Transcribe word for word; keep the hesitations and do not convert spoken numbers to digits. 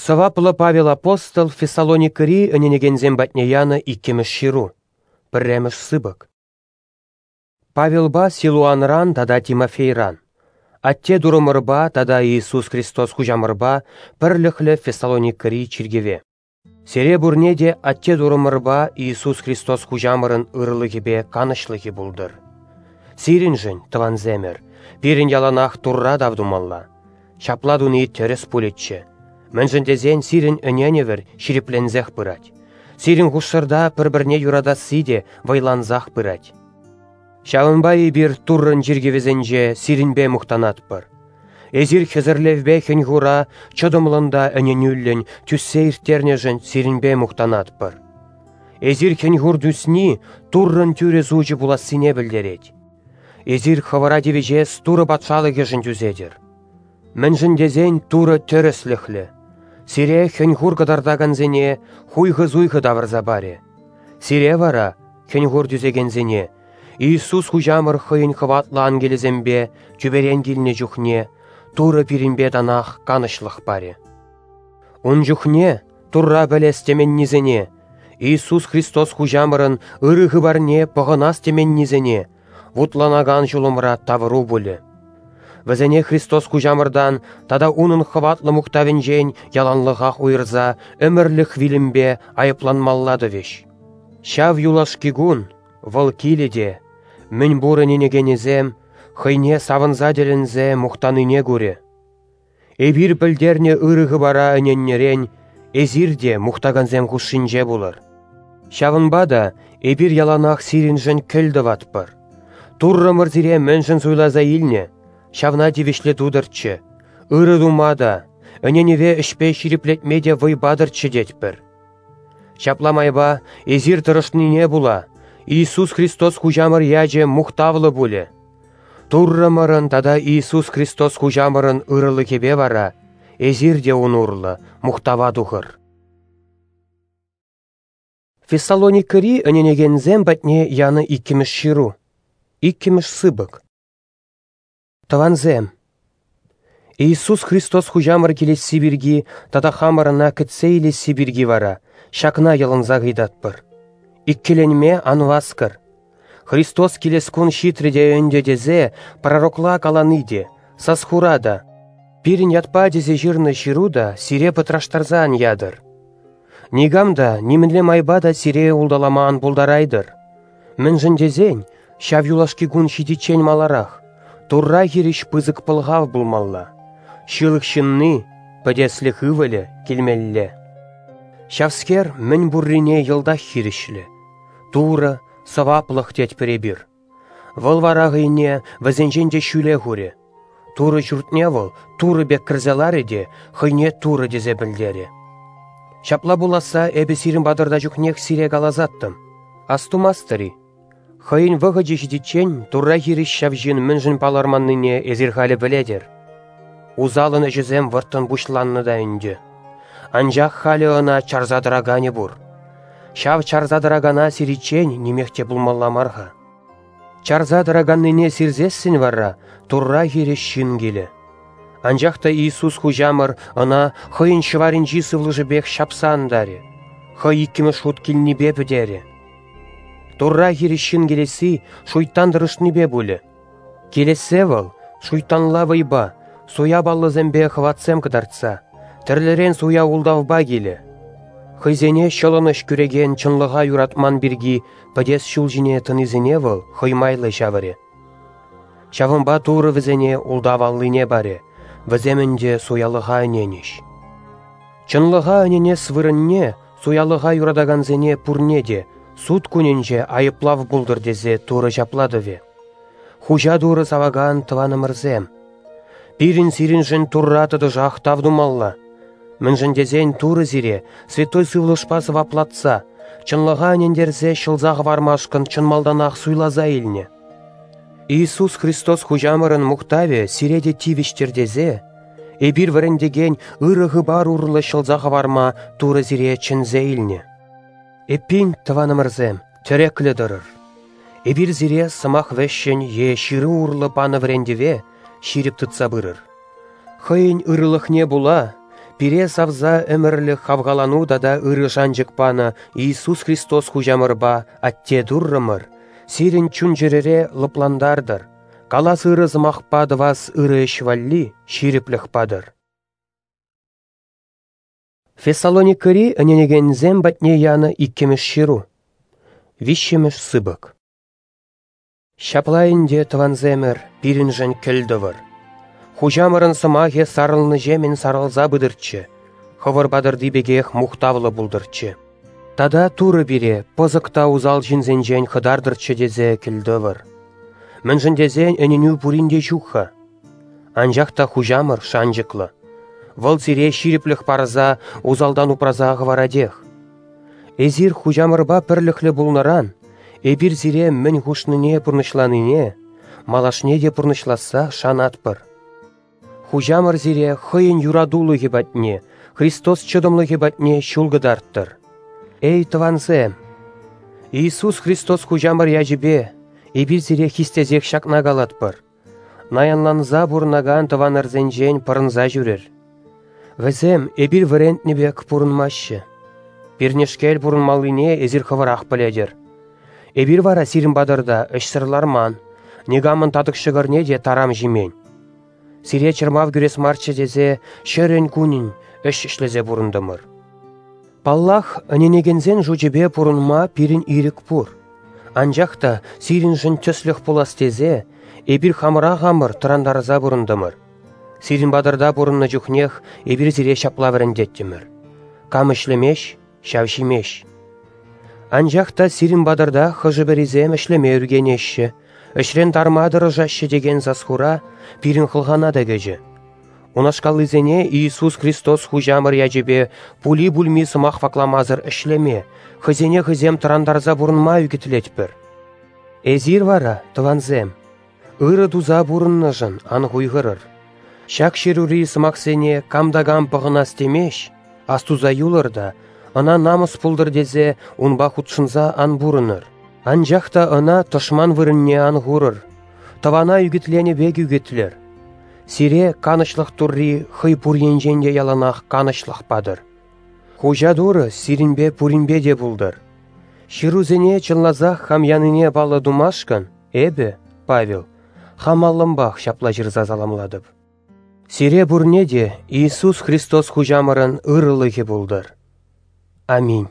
Сӑваплӑ Павел апостол Фессалоникӑри ӗненекенсем патне янӑ иккӗмӗш ҫыру, пӗрремӗш сыпӑк. Павелпа Силуанран тата Тимофейран, Атте Турӑмӑрпа тата Иисус Христос Хуҫамӑрпа пӗрлӗхлӗ Фессалоникӑри чиркӗве. Сире пурне те Атте Турӑмӑрпа Иисус Христос Хуҫамӑрӑн ырӑлӑхӗпе канӑҫлӑхӗ пултӑр. Сирӗншӗн, тӑвансемӗр, пирӗн яланах Турра тав тумалла. Ҫапла туни тӗрӗс пулӗччӗ. Мӗншӗн тесен сирӗн ӗненӗвӗр ҫирӗпленсех пырать. Сирӗн хушшӑрта пӗр-пӗрне юратасси те вӑйлансах пырать. Ҫавӑнпа эпир Туррӑн чиркӗвӗсенче сирӗнпе мухтанатпӑр. Эсир хӗсӗрлевпе хӗн-хура чӑтӑмлӑн та ӗненӳллӗн тӳссе ирттернӗшӗн сирӗнпе мухтанатпӑр. Эсир хӗн-хур тӳсни Туррӑн тӳрӗ сучӗ пулассине пӗлтерет. Эсир хӑвӑра тивӗҫес Турӑ патшалӑхӗшӗн тӳсетӗр. Мӗншӗн тесен Турӑ тӗрӗслӗхлӗ. Сире хӗн-хур кӑтартакансене хуйхӑ-суйхӑ тавӑрса парӗ. Сире вара, хӗн-хур тӳсекенсене, Иисус Хуҫамӑр хӑйӗн хӑватлӑ ангелӗсемпе тӳперен килнӗ чухне Турӑ пирӗнпе танах канӑҫлӑх парӗ. Ун чухне Турра пӗлес теменнисене, Иисус Христос Хуҫамӑрӑн ырӑ хыпарне пӑхӑнас теменнисене вутланакан ҫулӑмра тавӑру пулӗ. Вӗсене Христос Хуҫамӑртан тата унӑн хӑватлӑ мухтавӗнчен яланлӑхах уйӑрса ӗмӗрлӗх вилӗмпе айӑпланмалла тӑвӗҫ. Ҫав юлашки кун вӑл килӗ те, мӗн пур ӗненекенӗсем хӑйне савӑнса тӗлӗнсе мухтанине курӗ. Эпир пӗлтернӗ ырӑ хыпара ӗненнӗрен эсир те мухтакансем хушшинче пулӑр. Ҫавӑнпа та эпир яланах сирӗншӗн кӗл тӑватпӑр. Туррӑмӑр сире мӗншӗн суйласа илнӗ, ҫавна тивӗҫлӗ тутӑрччӗ, ырӑ тума та, ӗненӗве ӗҫпе ҫирӗплетме те вӑй патӑрччӗ тетпӗр. Ҫапла майпа эсир тӑрӑшнине пула Иисус Христос Хуҫамӑр ячӗ мухтавлӑ пулӗ. Туррӑмӑрӑн тата Иисус Христос Хуҫамӑрӑн ырӑлӑхӗпе вара эсир те ун урлӑ мухтава тухӑр. Фессалоникӑри ӗненекенсем патне янӑ иккӗмӗш ҫыру, иккӗмӗш сыпӑк. Тӑвансем, Иисус Христос Хуҫамӑр килесси пирки тата хамӑр ӑна кӗтсе илесси пирки вара ҫакна йӑлӑнса ыйтатпӑр. Иккӗленме ан васкӑр. Христос килес кун ҫитрӗ те ӗнтӗ тесе пророкла калани те, сас-хура та, пирӗн ятпа тесе ҫырнӑ ҫыру та сире пӑтраштарса ан ятӑр. Никам та нимӗнле майпа та сире улталама ан пултарайтӑр. Мӗншӗн тесен ҫав юлашки кун ҫитиччен маларах Турра хирӗҫ пысӑк пӑлхав пулмалла. Ҫылӑх ҫынни, пӗтеслӗх ывӑлӗ, килмелле. Ҫавскер мӗн пуррине йӑлтах хирӗҫлӗ. Турӑ, сӑваплӑх тетпӗр эпир. Вӑл вара хӑйне вӗсенчен те ҫӳле хурӗ. Турӑ ҫуртне вӑл Турӑ пек кӗрсе ларӗ те хӑйне Турӑ тесе пӗлтерӗ. Ҫапла пуласса эпӗ сирӗн патӑрта чухнех сире каласаттӑм. Астумастӑр-и? Хӑйӗн вӑхӑчӗ ҫитиччен Турра хирӗҫ ҫав ҫын мӗншӗн палӑрманнине эсир халӗ пӗлетӗр. Усалӑн ӗҫӗсем вӑрттӑн пуҫланнӑ та ӗнтӗ. Анчах халӗ ӑна чарса тӑраканӗ пур. Ҫав чарса тӑракана сириччен нимех те пулмалла мар-ха. Чарса тӑраканнине сирсессӗн вара Турра хирӗҫ ҫын килӗ. Анчах та Иисус Хуҫамӑр ӑна хӑйӗн ҫӑварӗнчи сывлӑшӗпех ҫапса антарӗ, хӑй иккӗмӗш хут килнипе пӗтерӗ. Турра хирӗҫ ҫын килесси шуйттан тӑрӑшнипе пулӗ. Килессе вӑл шуйттанла вӑйпа, суя паллӑсемпе хӑватсем кӑтартса, тӗрлӗрен суя ултавпа килӗ. Хӑйсене ҫӑлӑнӑҫ кӳрекен чӑнлӑха юратман пирки пӗтес ҫул ҫине тӑнисене вӑл хӑй майлӑ ҫавӑрӗ. Ҫавӑнпа Турӑ вӗсене ултав аллине парӗ, вӗсем ӗнтӗ суялӑха ӗненӗҫ. Чӑнлӑха ӗненес вырӑнне суялӑха юратакансене пурне те суд кунӗнче айӑплав пултӑр тесе Турӑ ҫапла тӑвӗ. Хуҫа Турӑ савакан тӑванӑмӑрсем, пирӗн сирӗншӗн Турра тӑтӑшах тав тумалла. Мӗншӗн тесен Турӑ сире Святой Сывлӑшпа сӑваплатса, чӑнлӑха ӗнентерсе ҫӑлса хӑвармашкӑн чӑн малтанах суйласа илнӗ. Иисус Христос Хуҫамӑрӑн мухтавӗ сире те тивӗҫтер тесе, эпир вӗрентекен ырӑ хыпар урлӑ ҫӑлса хӑварма Турӑ сире чӗнсе илнӗ. Эппин, тӑванӑмӑрсем, тӗреклӗ тӑрӑр. Эпир сире сӑмах вӗҫҫӗн е ҫыру урлӑ панӑ вӗрентӗве ҫирӗп тытса пырӑр. Хӑйӗн ырӑлӑхне пула пире савса ӗмӗрлӗх хавхалану тата ырӑ шанчӑк панӑ Иисус Христос Хуҫамӑрпа Атте Туррӑмӑр сирӗн чун-чӗрӗре лӑплантартӑр, калас ырӑ сӑмахпа тӑвас ырӑ ӗҫ валли ҫирӗплӗх патӑр. Фессалоникӑри ӗненекенсем патне янӑ иккӗмӗш ҫыру. Виҫҫӗмӗш сыпӑк. Ҫапла ӗнтӗ, тӑвансемӗр, пирӗншӗн кӗлтӑвӑр. Хуҫамӑрӑн сӑмахӗ сарӑлнӑҫемӗн сарӑлса пытӑрччӗ, хӑвӑр патӑрти пекех мухтавлӑ пултӑрччӗ. Тата Турӑ пире пӑсӑк та усал ҫынсенчен хӑтартӑрччӗ тесе кӗлтӑвӑр. Мӗншӗн тесен ӗненӳ пурин те ҫук-ха. Анчах та Хуҫамӑр шанчӑклӑ. Вӑл сире ҫирӗплӗх парса, усалтан упраса хӑваратех. Эсир Хуҫамӑрпа пӗрлӗхлӗ пулнӑран эпир сире мӗн хушнине пурнӑҫланине, малашне те пурнӑҫласса шанатпӑр. Хуҫамӑр сире хӑйӗн юратулӑхӗ патне, Христос чӑтӑмлӑхӗ патне ҫул кӑтарттӑр. Эй, тӑвансем! Иисус Христос Хуҫамӑр ячӗпе эпир сире хистесех ҫакна калатпӑр. Наянланса пурӑнакан тӑванӑрсенчен пӑрӑнса ҫӳрӗр. Вӗсем эпир вӗрентнӗ пек пурӑнмаҫҫӗ. Пирнешкел пурӑнмаллине эсир хӑвӑрах пӗлетӗр. Эпир вара сирӗн патӑрта ӗҫсӗр ларман, никамӑн татӑк ҫӑкӑрне те тарам ҫимен. Сире чӑрмав кӳрес марччӗ тесе ҫӗрӗн-кунӗн ӗҫ ӗҫлесе пурӑнтӑмӑр. Паллах, ӗненекенсен шучӗпе пурӑнма пирӗн ирӗк пур. Анчах та сирӗншӗн тӗслӗх пулас тесе эпир хамӑра хамӑр тӑрантарса пурӑнтӑмӑр. Сирӗн патӑрта пурӑннӑ чухнех эпир сире ҫапла вӗрентеттӗмӗр. Кам ӗҫлемест, ҫав ҫимест. Анчах та сирӗн патӑрта хӑшӗ-пӗрисем ӗҫлеме ӳркенеҫҫӗ, ӗҫрен тарма тӑрӑшаҫҫӗ текен сас-хура пирӗн хӑлхана та кӗчӗ. Унашкаллисене Иисус Христос Хуҫамӑр ячӗпе пули-пулми сӑмах вакламасӑр ӗҫлеме, хӑйсене хӑйсем тӑрантарса пурӑнма ӳкӗтлетпӗр. Эсир вара, тӑвансем, ырӑ туса пурӑннӑшӑн ан хуйхӑрӑр. Ҫак ҫырури сӑмахсене кам та кам пӑхӑнас темест, астуса юлӑр та, ӑна намӑс пултӑр тесе унпа хутшӑнса ан пурӑнӑр. Анчах та ӑна тӑшман вырӑнне ан хурӑр, тӑвана ӳкӗтленӗ пек ӳкӗтлӗр. Сире канӑҫлӑх Турри хӑй пур енчен те яланах канӑҫлӑх патӑр. Хуҫа Турӑ сирӗнпе пуринпе те пултӑр. Ҫырусене чӑнласах хам янине паллӑ тумашкӑн эпӗ, Павел, хам аллӑмпах ҫапла ҫырса саламлатӑп. Сире пурне те Иисус Христос Хуҫамӑрӑн ырӑлӑхӗ пултӑр. Аминь.